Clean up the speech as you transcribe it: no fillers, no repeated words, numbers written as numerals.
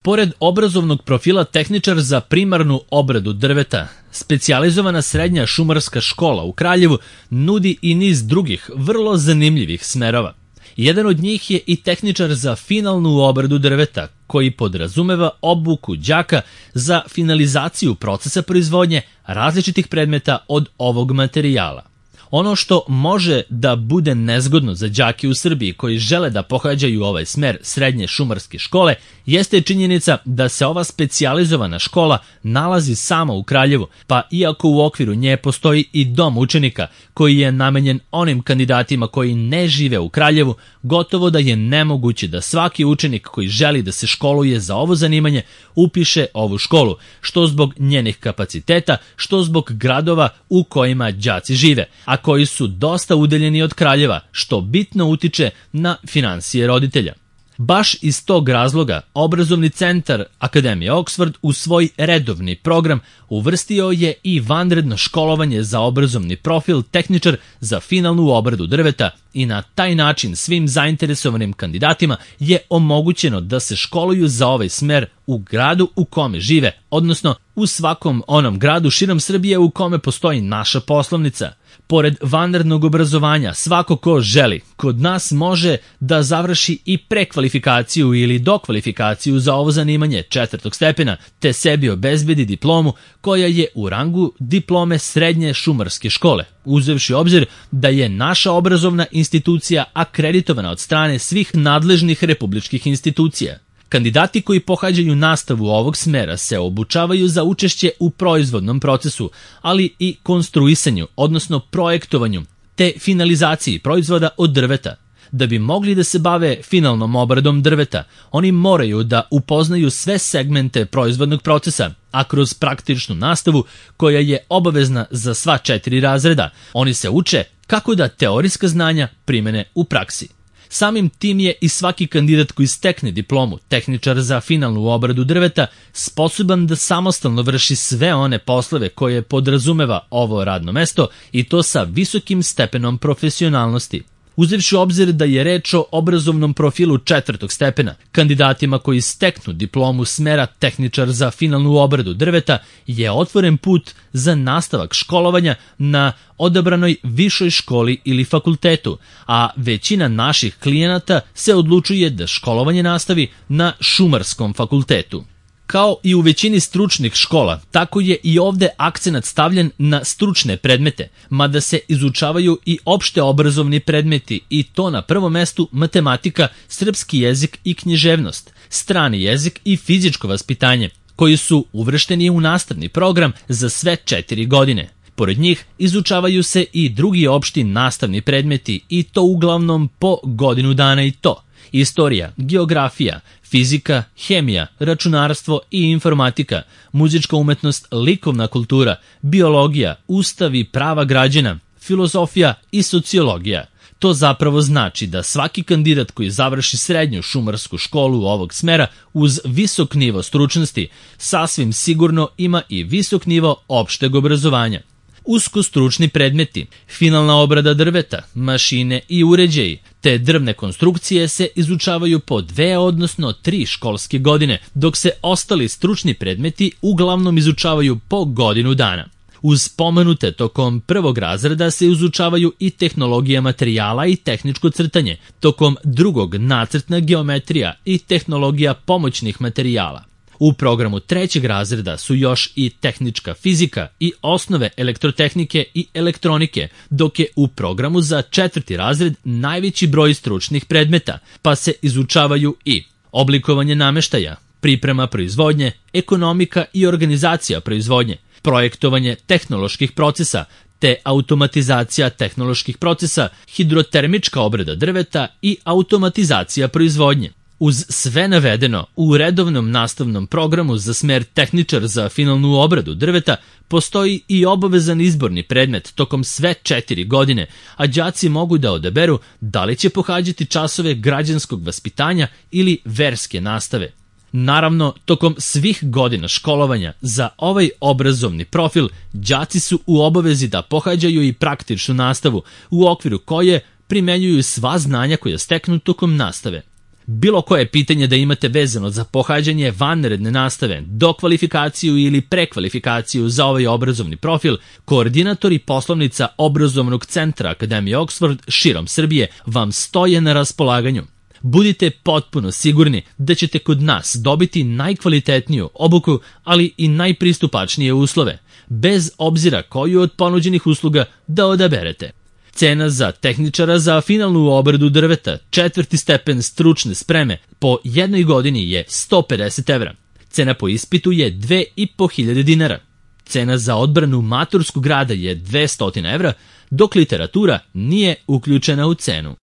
Pored obrazovnog profila tehničar za primarnu obradu drveta, specijalizovana srednja šumarska škola u Kraljevu nudi i niz drugih vrlo zanimljivih smerova. Jedan od njih je i tehničar za finalnu obradu drveta, koji podrazumeva obuku đaka za finalizaciju procesa proizvodnje različitih predmeta od ovog materijala. Ono što može da bude nezgodno za đake u Srbiji koji žele da pohađaju ovaj smer srednje šumarske škole jeste činjenica da se ova specijalizovana škola nalazi samo u Kraljevu, pa iako u okviru nje postoji i dom učenika koji je namenjen onim kandidatima koji ne žive u Kraljevu, gotovo da je nemoguće da svaki učenik koji želi da se školuje za ovo zanimanje upiše ovu školu, što zbog njenih kapaciteta, što zbog gradova u kojima đaci žive, a koji su dosta udaljeni od Kraljeva, što bitno utiče na finansije roditelja. Baš iz tog razloga obrazovni centar Akademije Oxford u svoj redovni program uvrstio je i vanredno školovanje za obrazovni profil tehničar za finalnu obradu drveta i na taj način svim zainteresovanim kandidatima je omogućeno da se školuju za ovaj smer u gradu u kome žive, odnosno u svakom onom gradu širom Srbije u kome postoji naša poslovnica. Pored vanrednog obrazovanja, svako ko želi kod nas može da završi i prekvalifikaciju ili dokvalifikaciju za ovo zanimanje 4. stepena, te sebi obezbedi diplomu koja je u rangu diplome srednje šumarske škole, uzevši obzir da je naša obrazovna institucija akreditovana od strane svih nadležnih republičkih institucija. Kandidati koji pohađaju nastavu ovog smera se obučavaju za učešće u proizvodnom procesu, ali i konstruisanju, odnosno projektovanju, te finalizaciji proizvoda od drveta. Da bi mogli da se bave finalnom obradom drveta, oni moraju da upoznaju sve segmente proizvodnog procesa, a kroz praktičnu nastavu, koja je obavezna za sva 4 razreda, oni se uče kako da teorijska znanja primene u praksi. Samim tim je i svaki kandidat koji stekne diplomu tehničar za finalnu obradu drveta sposoban da samostalno vrši sve one poslove koje podrazumeva ovo radno mesto i to sa visokim stepenom profesionalnosti. Uzevši u obzir da je reč o obrazovnom profilu 4. stepena, kandidatima koji steknu diplomu smera tehničar za finalnu obradu drveta je otvoren put za nastavak školovanja na odabranoj višoj školi ili fakultetu, a većina naših klijenata se odlučuje da školovanje nastavi na šumarskom fakultetu. Kao i u većini stručnih škola, tako je i ovde akcenat stavljen na stručne predmete, mada se izučavaju i opšte obrazovni predmeti i to na prvom mestu matematika, srpski jezik i književnost, strani jezik i fizičko vaspitanje, koji su uvršteni u nastavni program za sve 4 godine. Pored njih izučavaju se i drugi opšti nastavni predmeti i to uglavnom po godinu dana i to: istorija, geografija, fizika, hemija, računarstvo i informatika, muzička umetnost, likovna kultura, biologija, ustav i prava građana, filozofija i sociologija. To zapravo znači da svaki kandidat koji završi srednju šumarsku školu ovog smera uz visok nivo stručnosti sasvim sigurno ima i visok nivo opšteg obrazovanja. Uskostručni predmeti, finalna obrada drveta, mašine i uređaji, te drvne konstrukcije se izučavaju po 2, odnosno 3 školske godine, dok se ostali stručni predmeti uglavnom izučavaju po godinu dana. Uz pomenute tokom 1. razreda se izučavaju i tehnologija materijala i tehničko crtanje, tokom 2. nacrtna geometrija i tehnologija pomoćnih materijala. U programu 3. razreda su još i tehnička fizika i osnove elektrotehnike i elektronike, dok je u programu za 4. razred najveći broj stručnih predmeta, pa se izučavaju i oblikovanje nameštaja, priprema proizvodnje, ekonomika i organizacija proizvodnje, projektovanje tehnoloških procesa, te automatizacija tehnoloških procesa, hidrotermička obrada drveta i automatizacija proizvodnje. Uz sve navedeno, u redovnom nastavnom programu za smer tehničar za finalnu obradu drveta postoji i obavezan izborni predmet tokom sve 4 godine, a đaci mogu da odaberu da li će pohađati časove građanskog vaspitanja ili verske nastave. Naravno, tokom svih godina školovanja za ovaj obrazovni profil, đaci su u obavezi da pohađaju i praktičnu nastavu, u okviru koje primenjuju sva znanja koja steknu tokom nastave. Bilo koje pitanje da imate vezano za pohađanje vanredne nastave, dokvalifikaciju ili prekvalifikaciju za ovaj obrazovni profil, koordinatori poslovnica obrazovnog centra Akademije Oxford širom Srbije vam stoje na raspolaganju. Budite potpuno sigurni da ćete kod nas dobiti najkvalitetniju obuku, ali i najpristupačnije uslove, bez obzira koju od ponuđenih usluga da odaberete. Cena za tehničara za finalnu obradu drveta 4. stepen stručne spreme po jednoj godini je 150 evra. Cena po ispitu je 2.500 dinara. Cena za odbranu maturskog rada je 200 evra, dok literatura nije uključena u cenu.